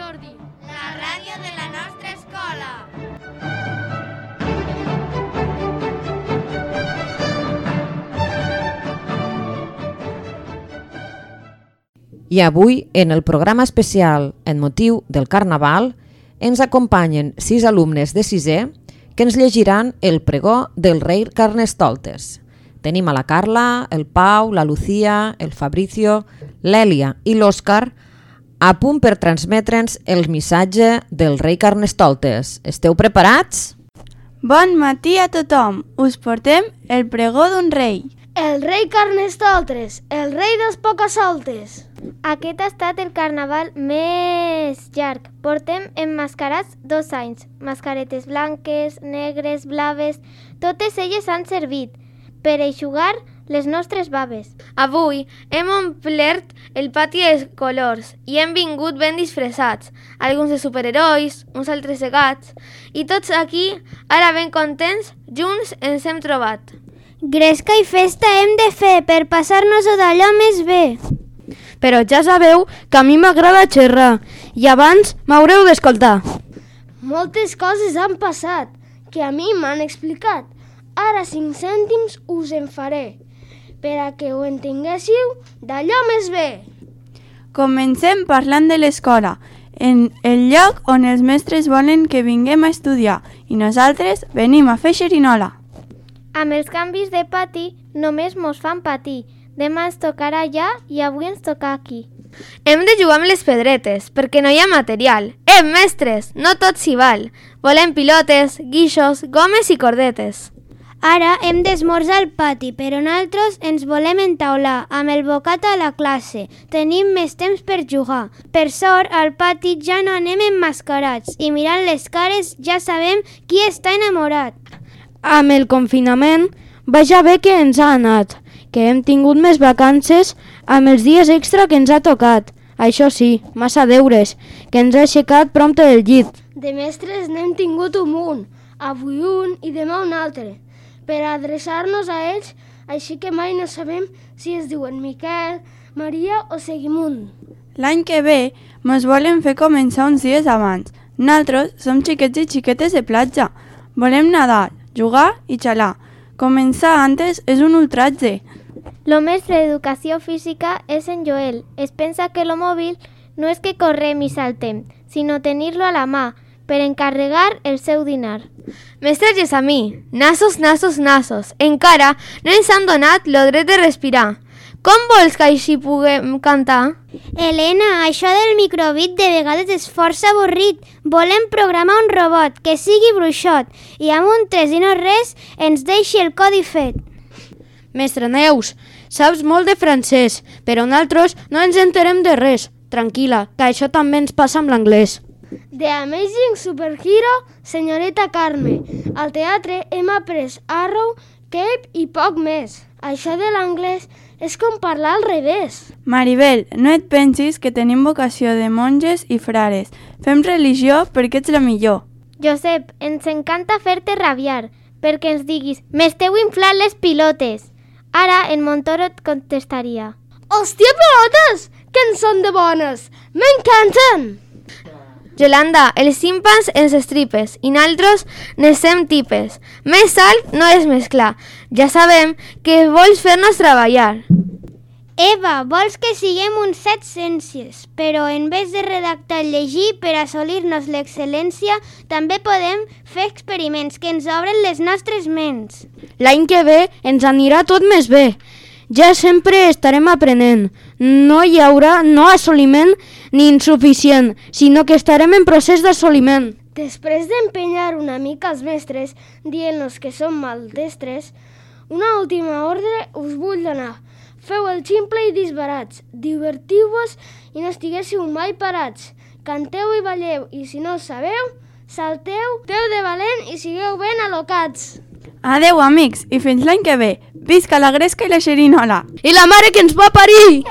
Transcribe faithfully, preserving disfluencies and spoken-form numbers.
Jordi, la ràdio de la nostra escola. I avui, en el programa especial en motiu del Carnaval, ens acompanyen sis alumnes de sisè que ens llegiran el pregó del rei Carnestoltes. Tenim a la Carla, el Pau, la Lucía, el Fabricio, l'Èlia i l'Òscar a punt per transmetre'ns el missatge del rei Carnestoltes. Esteu preparats? Bon matí a tothom! Us portem el pregó d'un rei. El rei Carnestoltes, el rei dels pocasoltes. Aquest ha estat el carnaval més llarg. Portem emmascarats dos anys. Mascaretes blanques, negres, blaves... Totes elles han servit per eixugar les nostres baves. Avui hem omplert el pati de colors i hem vingut ben disfressats. Alguns de superherois, uns altres de gats. I tots aquí, ara ben contents, junts ens hem trobat. Gresca i festa hem de fer per passar-nos-ho d'allò més bé. Però ja sabeu que a mi m'agrada xerrar i abans m'haureu d'escoltar. Moltes coses han passat que a mi m'han explicat. Ara cinc cèntims us en faré per a que ho entenguéssiu d'allò més bé. Comencem parlant de l'escola, en el lloc on els mestres volen que vinguem a estudiar i nosaltres venim a fer xerinola. Amb els canvis de pati només mos fan patir. Demà ens tocarà allà i avui ens toca aquí. Hem de jugar amb les pedretes, perquè no hi ha material. Eh, mestres, no tot s'hi val. Volem pilotes, guixos, gomes i cordetes. Ara hem d'esmorzar al pati, però nosaltres ens volem entaular amb el bocat a la classe. Tenim més temps per jugar. Per sort, al pati ja no anem emmascarats i mirant les cares ja sabem qui està enamorat. Amb el confinament, vaja bé que ens ha anat, que hem tingut més vacances amb els dies extra que ens ha tocat. Això sí, massa deures, que ens ha aixecat prompte del llit. De mestres n'hem tingut un munt, avui un i demà un altre, per adreçar-nos a ells, així que mai no sabem si es diuen Miquel, Maria o Seguimund. L'any que ve mos volen fer començar uns dies abans. Nosaltres som xiquets i xiquetes de platja. Volem nadar, jugar i xalar. Començar antes és un ultratge. Lo mestre d'educació física és en Joel. Es pensa que lo mòbil no és que correm i saltem, sinó tenir-lo a la mà per encarregar el seu dinar. Mestre Gessamí, nassos, nassos, nassos. Encara no ens han donat lo dret de respirar. Com vols que així puguem cantar? Helena, això del microbit de vegades és força avorrit. Volem programar un robot que sigui bruixot i amb un tres i no res ens deixi el codi fet. Mestre Neus, saps molt de francès, però nosaltres no ens enterem de res. Tranquil·la, que això també ens passa amb l'anglès. The Amazing Superhero, senyoreta Carme. Al teatre hem après Arrow, Cape i poc més. Això de l'anglès és com parlar al revés. Maribel, no et pensis que tenim vocació de monges i frares. Fem religió perquè ets la millor. Josep, ens encanta fer-te rabiar, perquè ens diguis «m'esteu inflant les pilotes». Ara en Montoro et contestaria «Hòstia, pilotes! Que en són de bones! M'encanten!» Yolanda, els timpans ens estripes i naltros nesem tipes. Més alt no és més clar. Ja sabem que vols fer-nos treballar. Eva, vols que siguem uns set ciències, però en vez de redactar i llegir per assolir-nos l'excel·lència, també podem fer experiments que ens obren les nostres ments. L'any que ve ens anirà tot més bé. Ja sempre estarem aprenent. No hi haurà no assoliment ni insuficient, sinó que estarem en procés d'assoliment. Després d'empenyar una mica els mestres, dient-nos que som maldestres, una última ordre us vull donar. Feu el ximple i disbarats, divertiu-vos i no estiguéssiu mai parats. Canteu i balleu i si no ho sabeu, salteu, feu de valent i sigueu ben al·locats. Adeu, amics, i fins l'any que ve. Visca la gresca i la xerinola. I la mare que ens va parir!